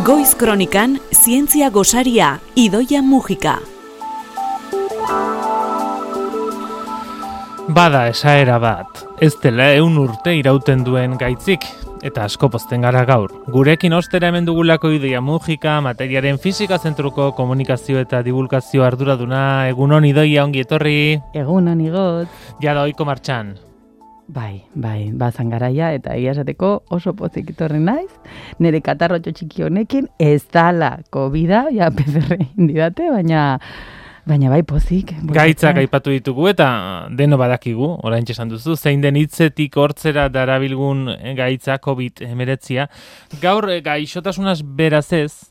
Goiz Kronikan, zientzia gosaria, Idoia Mujika. Bada esaera bat, ez dela 100 urte irauten duen gaitzik, eta asko pozten gara gaur. Gurekin ostera hemen dugulako Idoia Mujika, materiaren fisika zentruko komunikazio eta divulgazio arduraduna. Egunon Idoia, ongi etorri. Egunon igot. Jada ohiko martxan. Bai, bazan garaia eta egia esateko oso pozik etorri naiz. Nire katarrotxo txiki honekin ez dala COVID-a, ja PCR indidate, baina bai pozik. Gaitzak aipatu ditugu eta deno badakigu, oraintxe esan duzu, zein den hitzetik hortzera darabilgun gaitza COVID-19. Gaur gaixotasunaz beraz ez,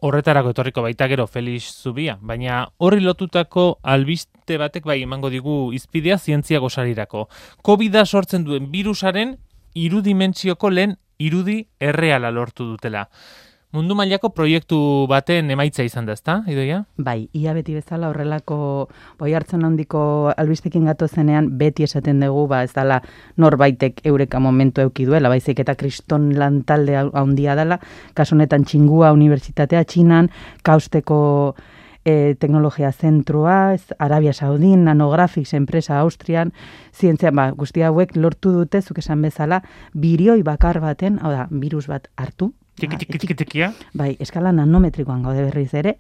horretarako etorriko baita gero Felix Zubia, baina horri lotutako albiste batek bai emango digu izpidea zientzia gosarirako. COVID-a sortzen duen virusaren irudimentsioko lehen irudi erreala lortu dutela. Mundu mailako proiektu baten emaitza izan da, ezta, Idoia? Bai, ia beti bezala horrelako boi hartzen handiko albistekin gatozenean beti esaten dugu, ez dala norbaitek eureka momentu eduki duela, baizik eta kriston lantalde handia dela, kasu honetan Txingua Unibertsitatea Txinan, kausteko teknologia zentrua, Arabia Saudin, Nanographics enpresa Austrian, zientzia, guztia hauek lortu dute, zuk esan bezala, birioi bakar baten, hau da, virus bat hartu, Tiki-tiki-tiki-tikia? Bai, eskala nanometrikoan gaude berriz ere,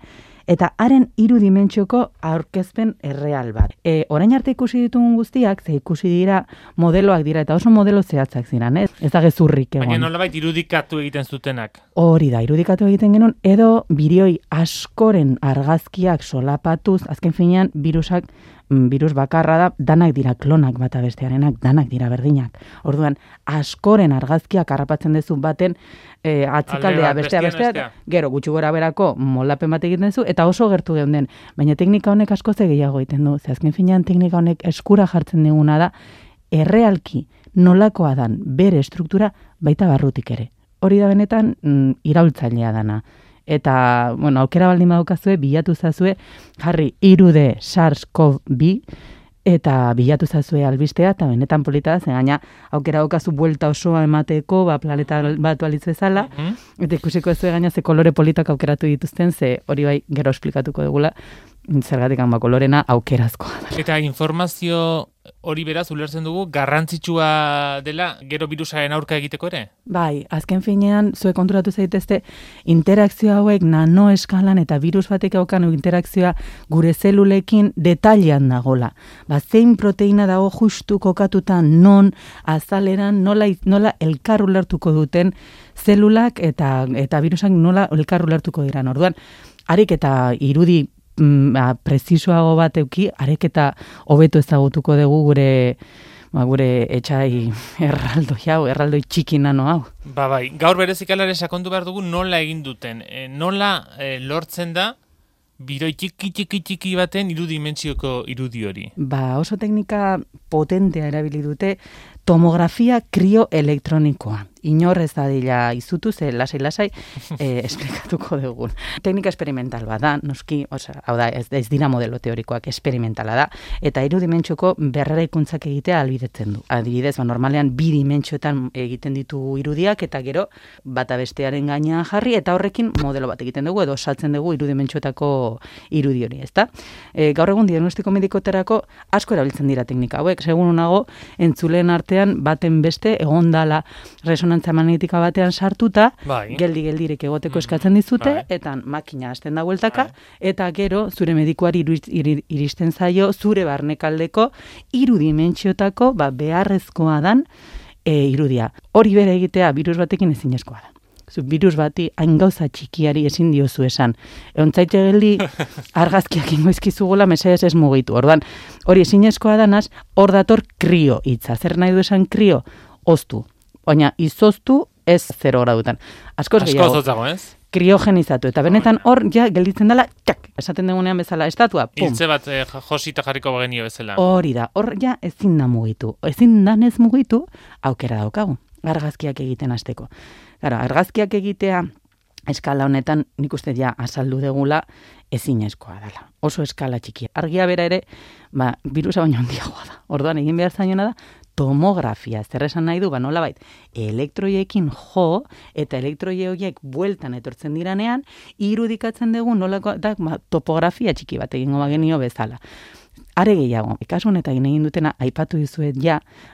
eta haren 3 dimentsioko aurkezpen erreal bat. Orain arte ikusi ditugun guztiak, ze ikusi dira modeloak dira, eta oso modelo zehatzak ziren, ez? Ez da gezurrik egon. Baina nolabait irudikatu egiten zutenak. Hori da, irudikatu egiten genuen, edo birioi askoren argazkiak solapatuz, azken finean virus bakarra da, danak dira klonak bata bestearenak, danak dira berdinak. Orduan, askoren argazkiak harrapatzen dezu baten atzikaldea bestea, gero gutxi gora berako moldapen bat egiten zu, eta oso gertu geunden. Baina teknika honek asko gehiago egiten du. Ze azken finean teknika honek eskura jartzen diguna da, errealki nolakoa dan bere estruktura baita barrutik ere. Hori da benetan iraultzailea dana. Eta, aukera baldin badukazue, bilatu zazue, jarri 3D SARS-CoV-2, eta bilatu zazue albistea, eta benetan polita da, gaina aukera daukazu buelta osoa emateko, planeta batu alitz bezala, eta ikusiko ez gaina ze kolore politak aukeratu dituzten, ze hori bai gero esplikatuko dugula, zergatik kolorena aukerazkoa da. Eta informazio hori beraz ulertzen dugu garrantzitsua dela gero virusaren aurka egiteko ere? Bai, azken finean zuek konturatu zaitezte interakzio hauek nanoeskalan eta virus batek daukan interakzioa gure zelulekin detailean dagola. Zein proteina dago justu kokatuta non azaleran nola elkar ulertuko duten zelulak eta virusak nola elkar ulertuko dira. Orduan, harik eta irudi prezisoago bat euki, arek eta hobeto ezagutuko dugu gure etxai erraldoi txiki nano hau. Bai, gaur berezik alare sakondu behar dugu nola egin duten, nola lortzen da biroi txiki baten 3 dimentsioko irudi hori. Oso teknika potentea erabili dute, tomografia krioelektronikoa. Inor ez dadila izutu, ze lasai esplikatuko dugun. Teknika esperimental bat da, noski, hau da, ez dira modelo teorikoak, esperimentala da, eta 3 dimentsioko berreraikuntzak egitea ahalbidetzen du. Adibidez, normalean 2 dimentsioetan egiten ditu irudiak, eta gero bata bestearen gainean jarri, eta horrekin modelo bat egiten dugu, edo osatzen dugu 3 dimentsioetako irudi hori, ezta? Gaur egun diagnostiko medikoterako asko erabiltzen dira teknika hauek, segun nago, entzuleen artean baten beste egondala resonantzia magnetika batean sartuta, geldi-geldirek egoteko eskatzen dizute, eta makina hasten da bueltaka, eta gero zure medikuari iristen zaio zure barnekaldeko 3 dimentsiotako beharrezkoa dan irudia. Hori bere egitea virus batekin ezinezkoa da. Virus bati hain gauza txikiari ezin diozu esan. Egontzaite geldi argazkiak ingoizkizugola mesedez ez mugitu. Orduan, hori ezinezkoa danaz, hor dator krio hitza. Zer nahi du esan krio? Oztu. Baina izoztu ez 0 gradutan. Askoz zotzago, ez? Kriogenizatu. Eta benetan hor gelitzen dela, txak, esaten dugunean bezala, estatua, pum. Hiltze bat josita jarriko bagenio bezala. Hori da, hor ezin da mugitu. Ezin danez mugitu, aukera daukagu. Argazkiak egiten hasteko. Argazkiak egitea eskala honetan nik uste azaldu degula ezinezkoa dela. Oso eskala txikia. Argia bera ere, virusa baino handiagoa da. Orduan egin behar zainona da, tomografia. Zer esan nahi du, nolabait, elektroiekin jo, eta elektroie horiek bueltan etortzen diranean, irudikatzen dugu nolako da topografia txiki bat egingo bagenio bezala. Are gehiago, kasu honetan egin dutena aipatu dizuet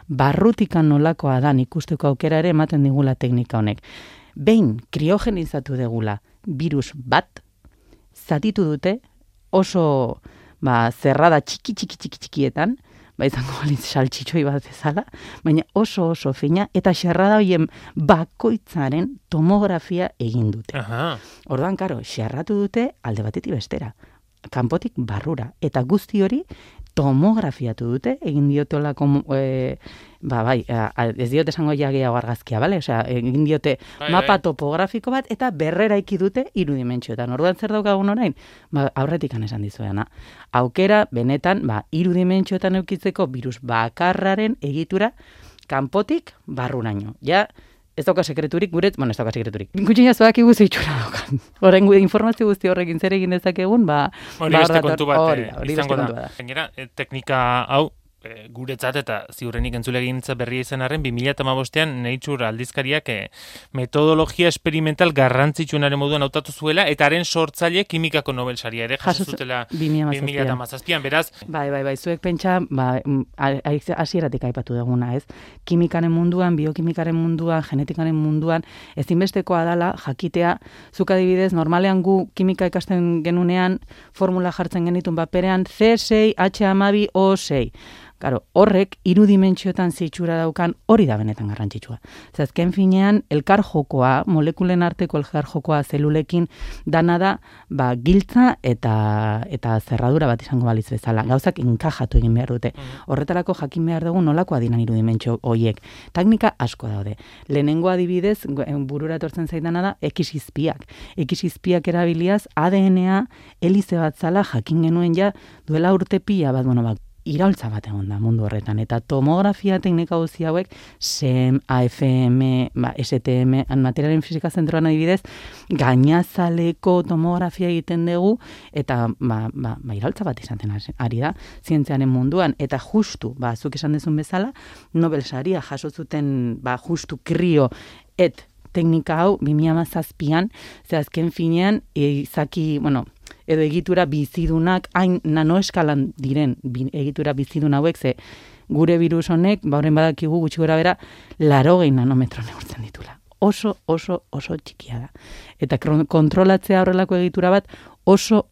barrutikan nolakoa da ikusteko aukera ere ematen digula teknika honek. Behin kriogenizatu degula virus bat, zatitu dute oso zerrada txikietan, izango balitz saltxitxoi bat bezala, baina oso fina, eta xerrada horien bakoitzaren tomografia egin dute. Orduan, karo, xerratu dute alde batetik bestera, kanpotik barrura, eta guzti hori tomografiatu dute, egin diotolako, ez diote esango gehiago argazkia, bale? Osea, egin diote mapa topografiko bat, eta berreraiki dute irudimentxoetan. Orduan zer daukagun orain? Aurretik esan dizuena. Aukera, benetan, irudimentxoetan eukitzeko virus bakarraren egitura kanpotik barruraino. Ja, ez dauka sekreturik, ez dauka sekreturik. Gutxina zoak iguz itxura daukan. Horren informazio guzti horrekin zer egin dezakegun, hori beste kontu bat izango da. Gainera, teknika hau, guretzat eta ziurrenik entzulegintza berria izan arren, 2015an Nature aldizkariak metodologia experimental garrantzitsuenaren moduan hautatu zuela, eta haren sortzaile kimikako Nobel saria ere jaso zutela 2017an, beraz. Bai, zuek pentsa, hasieratik aipatu duguna, ez? Kimikaren munduan, biokimikaren munduan, genetikaren munduan, ezinbestekoa dala jakitea, zuk adibidez, normalean gu kimika ikasten genunean, formula jartzen genitun paperean, C6, H12, O6. Claro, horrek irudimentxoetan zitxura daukan hori da benetan garrantzitsua. Azken finean, elkar jokoa, molekulen arteko elkar jokoa zelulekin dana da, giltza eta zerradura bat izango balitz bezala. Gauzak inkajatu egin behar dute. Horretarako jakin behar dugu nolakoa dinan irudimentxo horiek. Teknika asko daude. Lehenengo adibidez, burura etortzen zaidana da, ekisizpiak. Ekisizpiak erabiliaz, ADN-a helize bat zala jakin genuen duela urte pila bat, iraultza bat egon da mundu horretan, eta tomografia teknika guzti hauek, SEM, AFM, STM, materialen fisika zentroan adibidez, gainazaleko tomografia egiten dugu, eta iraultza bat izaten ari da, zientziaren munduan, eta justu, zuk esan dezun bezala, Nobel saria jaso zuten, justu krio, teknika hau, 2017an, ze azken finean, edo egitura bizidunak, hain nanoeskalan diren egitura bizidun hauek, ze gure virus honek, horren badakigu gutxi gora bera, 80 nanometro neurtzen ditula. Oso txikia da. Eta kontrolatzea horrelako egitura bat oso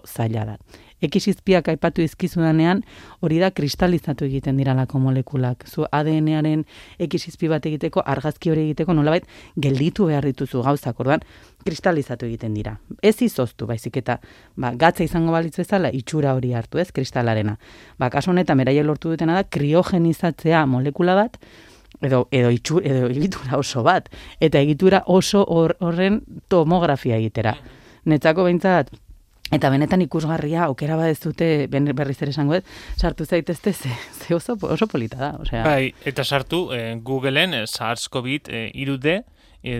zaila da. Ekisizpiak aipatu izkizudanean, hori da kristalizatu egiten diralako molekulak. Zu ADN-aren ekisizpi bat egiteko, argazki hori egiteko, nolabait gelditu behar dituzu gauzak, orduan, kristalizatu egiten dira. Ez izoztu, baizik eta gatza izango balitz bezala, itxura hori hartu ez, kristalarena. Kasu honetan, beraiek lortu dutena da, kriogenizatzea molekula bat, edo egitura oso bat, eta egitura oso horren tomografia egitera. Netzako behintzat, eta benetan ikusgarria, aukera bat ez dute, berriz ere esango sartu zaitezte, ze oso polita da. Bai, eta sartu Googleen SARS-CoV-2 3D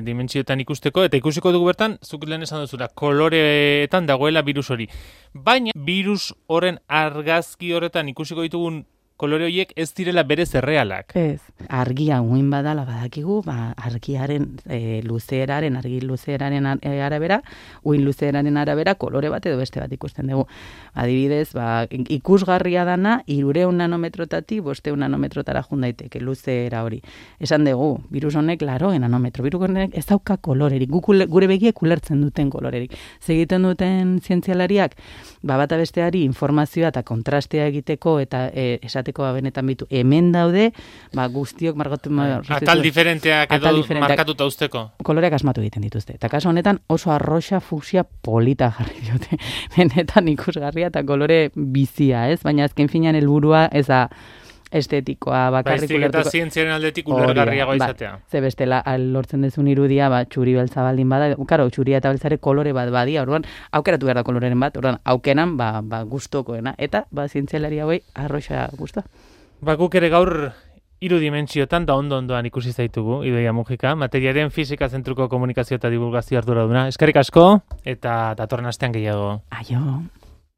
dimentsioetan ikusteko, eta ikusiko dugu bertan, zuk lehen esan duzula, koloreetan dagoela virus hori. Baina, virus horren argazki horretan ikusiko ditugun kolore horiek ez direla berez errealak. Ez, argia uin badala badakigu, argiaren luzeeraren, argi luzeeraren arabera, uin luzeeraren arabera, kolore bat edo beste bat ikusten dugu. Adibidez, ikusgarria dana, 300 nanometrotatik 500 nanometrotara jundaiteke luzeera hori. Esan dugu, virus honek 80 nanometro, virus honek ez dauka kolorerik, gure begiek ulertzen duten kolorerik. Segiten duten zientzialariak, bata besteari informazioa eta kontrastea egiteko eta esateko benetan bitu, hemen daude, guztiok markatu... Atal diferenteak edo markatuta usteko. Koloreak asmatu egiten dituzte. Eta kasu honetan oso arroxa, fusia, polita jarri diote. Benetan ikusgarria eta kolore bizia, ez? Baina azken finean helburua ez da estetikoa bakarrik ulertuko. Baizik eta zientziaren aldetik ulergarriagoa izatea. Ze bestela, lortzen dezun irudia, txuri beltza baldin bada, txuria eta beltzare kolore bat badia, orduan, aukeratu behar da koloreren bat, orduan, aukenan, gustokoena, eta, zientzialari hauei, arroxa gustoa. Guk ere gaur irudimentsiotan da ondoan ikusi zaitugu, Idoia Mujika, materiaren fisika zentruko komunikazio eta divulgazio arduraduna. Eskerrik asko, eta datorren astean gehiago. Aio.